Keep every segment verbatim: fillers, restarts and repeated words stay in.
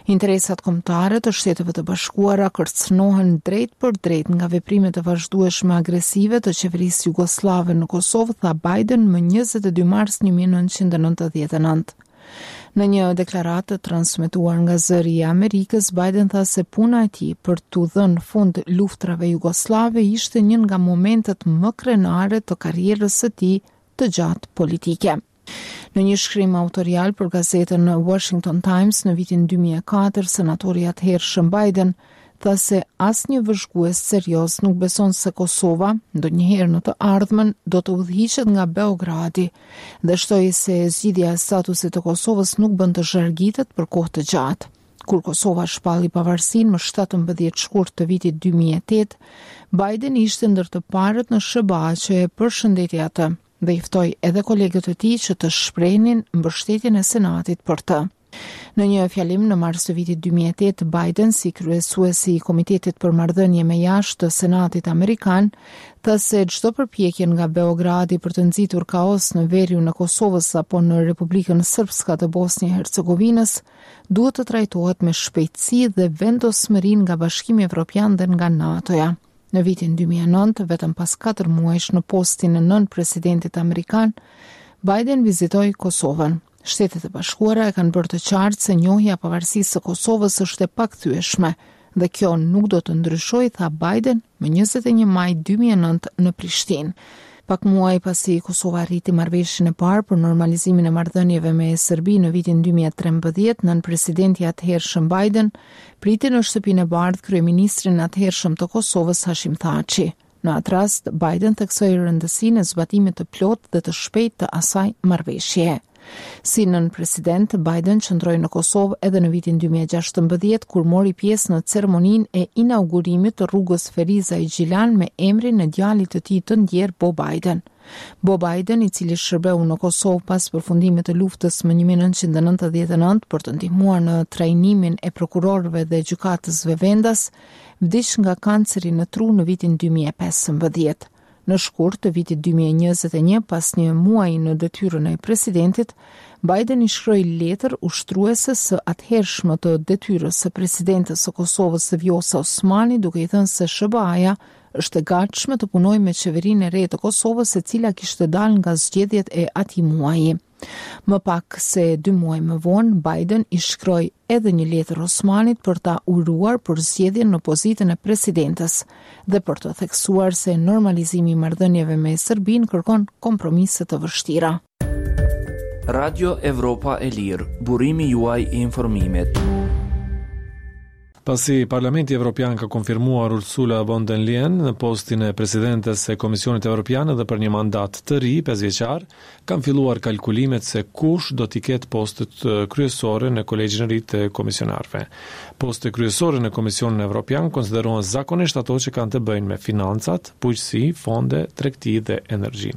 Interesat kombëtare të Shteteve të Bashkuara kërcënohen drejt për drejt nga veprimet e vazhdueshme agresive të qeverisë jugosllave në Kosovë, tha Biden më njëzet e dy mars një mijë e nëntëqind e nëntëdhjetë e nëntë. Në një deklaratë të transmetuar nga Zëri i Amerikës, Biden tha se puna e tij për t'u dhënë fund luftrave jugosllave ishte një nga momentet më krenare të karrierës së tij të gjatë politike. Në një shkrim autorial për gazetën Washington Times në vitin dy mijë e katër, senatori atëhershëm Biden tha se asnjë vëzhgues serioz nuk beson se Kosova, ndonjëherë në të ardhmen, do të udhëhiqet nga Beogradi dhe shtoi se zgjidhja e statusit të Kosovës nuk bën të zhargitet për kohë të gjatë. Kur Kosova shpalli pavarësinë më shtatëmbëdhjetë shkurt të vitit dy mijë e tetë, Biden ishte ndër të parët në S H B A që e përshëndeti atë dhe i ftoi edhe kolegët e tij që të shprehnin mbështetjen e Senatit për të. Në një fjalim në mars të vitit dy mijë e tetë, Biden, si kryesuesi i Komitetit për Marrëdhënie me Jashtë të Senatit Amerikan, tha se çdo përpjekje nga Beogradi për të nxitur kaos në veriun e Kosovës apo në Republikën Srpska të Bosnjë Hercegovinës duhet të trajtohet me shpejtësi dhe vendosmëri nga Bashkimi Evropian dhe nga NATO-ja. Në vitin dy mijë e nëntë, vetëm pas katër muajsh në postin e nën presidentit amerikan, Biden vizitoi Kosovën. Shtetet e Bashkuara e kanë bërë të qartë se njohja e pavarësisë së Kosovës është e pakthyeshme dhe kjo nuk do të ndryshojë, tha Biden më njëzet e një maj dy mijë e nëntë në Prishtinë. Pak muaj pasi Kosova arriti marrëveshjen e parë për normalizimin e marrëdhënieve me Serbinë në vitin dy mijë e trembëdhjetë, nën presidenti atëhershëm Biden priti në Shtëpinë e Bardhë kryeministrin atëhershëm të Kosovës, Hashim Thaçi. Në atë rast, Biden theksoi rëndësinë e zbatimit të plotë dhe të shpejtë të asaj marrëveshjeje. Si nën president, Biden qëndroi në Kosovë edhe në vitin dy mijë e gjashtëmbëdhjetë, kur mori pjesë në ceremoninë e inaugurimit të rrugës Ferizaj-Gjilan me emrin e djalit të tij të ndjerë, Bo Biden. Bo Biden, i cili shërbeu në Kosovë pas përfundimit të luftës më një mijë e nëntëqind e nëntëdhjetë e nëntë për të ndihmuar në trajnimin e prokurorëve dhe gjykatësve vendas, vdiq nga kanceri në tru në vitin dy mijë e pesëmbëdhjetë. Në shkurt të vitit dy mijë e njëzet e një, pas një muaji në detyrën e presidentit, Biden i shkroi letër ushtrueses së atëhershme të detyrës së presidentës së Kosovës, Vjosa Osmani, duke i thënë se S H B A-ja është e gatshme të punojë me qeverinë e re të Kosovës, e cila kishte dalë nga zgjedhjet e atij muaji. Më pak se dy muaj më vonë, Biden i shkroi edhe një letër Osmanit për ta uruar për zgjedhjen në pozitën e presidentës dhe për të theksuar se normalizimi i marrëdhënieve me Serbinë kërkon kompromise të vështira. Radio Evropa e Lirë, burimi juaj i informimit. Pasi Parlamenti Evropian ka konfirmuar Ursula von der Leyen në postin e presidentes së Komisionit Evropian edhe për një mandat të ri pesëvjeçar, kanë filluar kalkulimet se kush do t'i ketë postet kryesore në kolegjin e ri të komisionarëve. Poste kryesore në Komisionin Evropian konsiderohen zakonisht ato që kanë të bëjnë me financat, bujqësi, fonde, tregti dhe energji.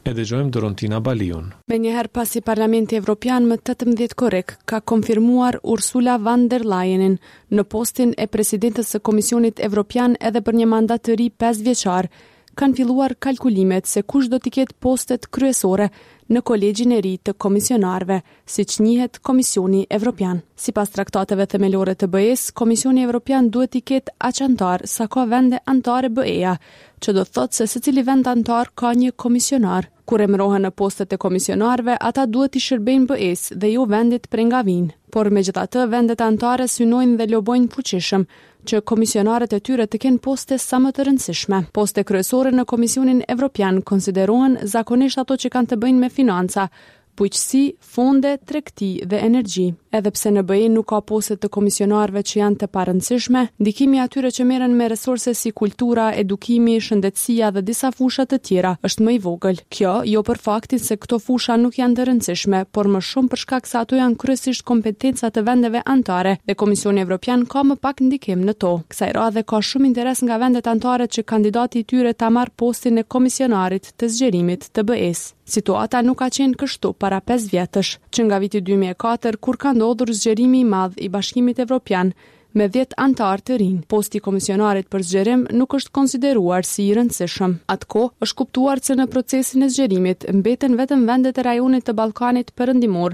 E dëgjojmë Dorontina Baliun. Menjëherë pasi Parlamenti Evropian më tetëmbëdhjetë korrik ka konfirmuar Ursula von der Leyenin në postin e presidentës së Komisionit Evropian edhe për një mandat të ri pesë vjeçar, kanë filluar kalkulimet se kush do t'i ketë postet kryesore në kolegjin e ri të komisionarëve, siç njihet Komisioni Evropian. Sipas traktateve themelore të B E-s, Komisioni Evropian duhet t'i ketë aq antar sa ka vende anëtare B E-ja, që do të thotë se secili vend anëtar ka një komisionar. Kur emërohen në postet e komisionarëve, ata duhet t'i shërbejnë B E-s dhe jo vendit prej nga vijnë. Por megjithatë, vendet anëtare synojnë dhe lobojnë fuqishëm që komisionarët e tyre të kenë poste sa më të rëndësishme. Poste kryesore në Komisionin Evropian konsiderohen zakonisht ato që kanë të bëjnë me financa, bujqësi, fonde, tregti dhe energji. Edhe pse në B E nuk ka poste të komisionarëve që janë të parëndësishme, ndikimi i atyre që merren me resurse si kultura, edukimi, shëndetësia dhe disa fusha të tjera është më i vogël. Kjo jo për faktin se këto fusha nuk janë të rëndësishme, por më shumë për shkak se ato janë kryesisht kompetenca të vendeve anëtare dhe Komisioni Evropian ka më pak ndikim në to. Kësaj radhe ka shumë interes nga vendet anëtare që kandidati i tyre ta marrë postin e komisionarit të zgjerimit të B E-s. Situata nuk ka qenë kështu para pesë vjetësh, që nga viti dy mijë e katër, kur ka ndodhur zgjerimi i madh i Bashkimit Evropian me dhjetë anëtarë të rinj. Posti i komisionarit për zgjerim nuk është konsideruar si i rëndësishëm. Atëkohë është kuptuar se në procesin e zgjerimit mbeten vetëm vendet e rajonit të Ballkanit Perëndimor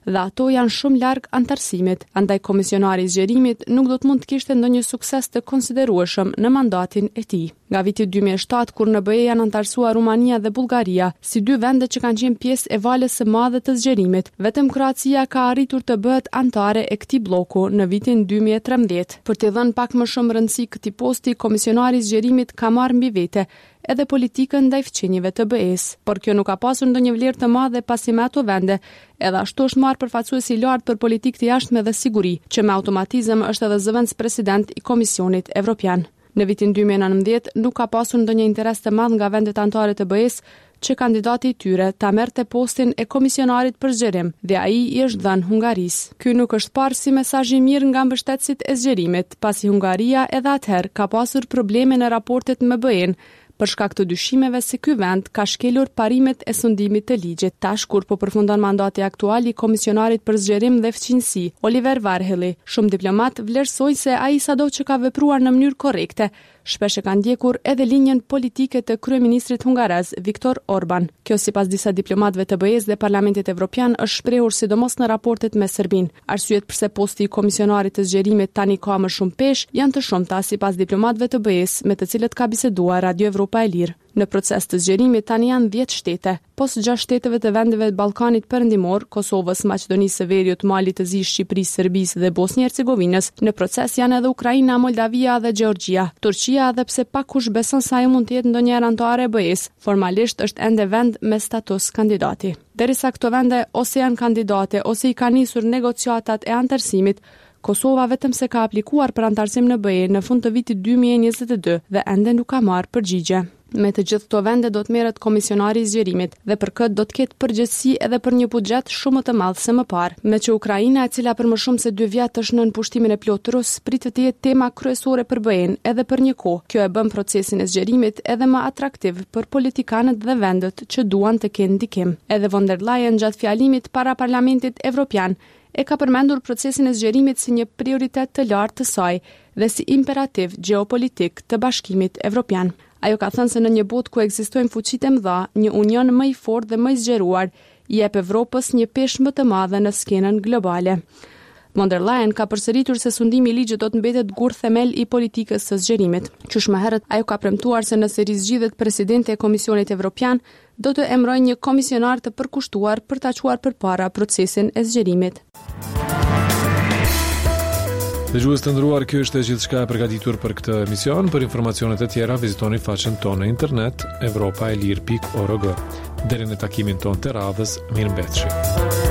dhe ato janë shumë larg anëtarësimit, andaj komisionari i zgjerimit nuk do të mund të kishte ndonjë sukses të konsiderueshëm në mandatin e tij. Nga viti dy mijë e shtatë, kur në B E janë anëtarësuar Rumania dhe Bullgaria, si dy vende që kanë qenë pjesë e valës së madhe të zgjerimit, vetëm Kroacia ka arritur të bëhet anëtare e këtij bloku në vitin dy mijë e trembëdhjetë. Për t'i dhënë pak më shumë rëndësi këtij posti, komisionari i zgjerimit ka marrë mbi vete edhe politikën ndaj fqinjëve të B E-s, por kjo nuk ka pasur ndonjë vlerë të madhe pasi me ato vende edhe ashtu është marrë përfaqësuesi i lartë për politikë të jashtme dhe siguri, që me automatizëm është edhe zëvendëspresident i Komisionit Evropian. Në vitin dy mijë e nëntëmbëdhjetë nuk ka pasur ndonjë interes të madh nga vendet anëtare të B E-s që kandidati i tyre ta merrte postin e komisionarit për zgjerim dhe ai i është dhënë Hungarisë. Ky nuk është parë si mesazh i mirë nga mbështetësit e zgjerimit, pasi Hungaria edhe atëherë ka pasur probleme në raportet me B E-n, për shkak të dyshimeve se ky vend ka shkelur parimet e sundimit të ligjit. Tash kur po përfundon mandati aktual i komisionarit për zgjerim dhe fqinjësi, Oliver Varhelyi, shumë diplomat vlerësojnë se ai sado që ka vepruar në mënyrë korrekte, shpesh e ka ndjekur edhe linjën politike të kryeministrit hungarez Viktor Orban. Kjo sipas disa diplomatëve të B E-s dhe Parlamentit Evropian është shprehur sidomos në raportet me Serbinë. Arsyet pse posti i komisionarit të zgjerimit tani ka më shumë peshë janë të shumta sipas diplomatëve të B E-s me të cilët ka biseduar Radio Evropa e Lirë. Në proces të zgjerimit tani janë dhjetë shtete, pos gjashtë shteteve të vendeve të Ballkanit Perëndimor, Kosovës, Maqedonisë së Veriut, Malit të Zi, Shqipërisë, Serbisë dhe Bosnjë Hercegovinës. Në proces janë edhe Ukraina, Moldavia dhe Gjeorgjia. Turqia, edhe pse pak kush beson se ajo mund të jetë ndonjëherë anëtare e B E-s, formalisht është ende vend me status kandidati. Derisa këto vende ose janë kandidate ose i kanë nisur negociatat e anëtarësimit, Kosova vetëm se ka aplikuar për anëtarësim në B E në fund të vitit dy mijë e njëzet e dy dhe ende nuk ka marrë përgjigje. Me të gjithë këto vende do të merret komisionari i zgjerimit dhe për këtë do të ketë përgjegjësi edhe për një buxhet shumë më të madh se më parë. Me që Ukraina, e cila për më shumë se dy vjet është nën pushtimin e plotë rus, pritet të jetë tema kryesore për B E-n edhe për një kohë. Kjo e bën procesin e zgjerimit edhe më atraktiv për politikanët dhe vendet që duan të kenë ndikim. Edhe von der Leyen gjatë fjalimit para Parlamentit Evropian e ka përmendur procesin e zgjerimit si një prioritet të lartë të saj dhe si imperativ gjeopolitik të Bashkimit Evropian. Ajo ka thënë se në një botë ku ekzistojnë fuqitë e mëdha, një union më i fortë dhe më i zgjeruar i jep Evropës një peshë më të madhe në skenën globale. Von der Leyen ka përsëritur se sundimi i ligjit do të mbetet gur themel i politikës së zgjerimit. Qysh më herët, ajo ka premtuar se nëse rizgjidhet presidente e Komisionit Evropian, do të emërojë një komisionar të përkushtuar për ta çuar përpara procesin e zgjerimit. Dëgjues të nderuar, kjo ishte gjithçka e përgatitur për këtë emision. Për informacionet e tjera vizitoni faqen tonë në internet evropa e lirë pikë org. Deri në takimin tonë të radhës, mirëmbetshi.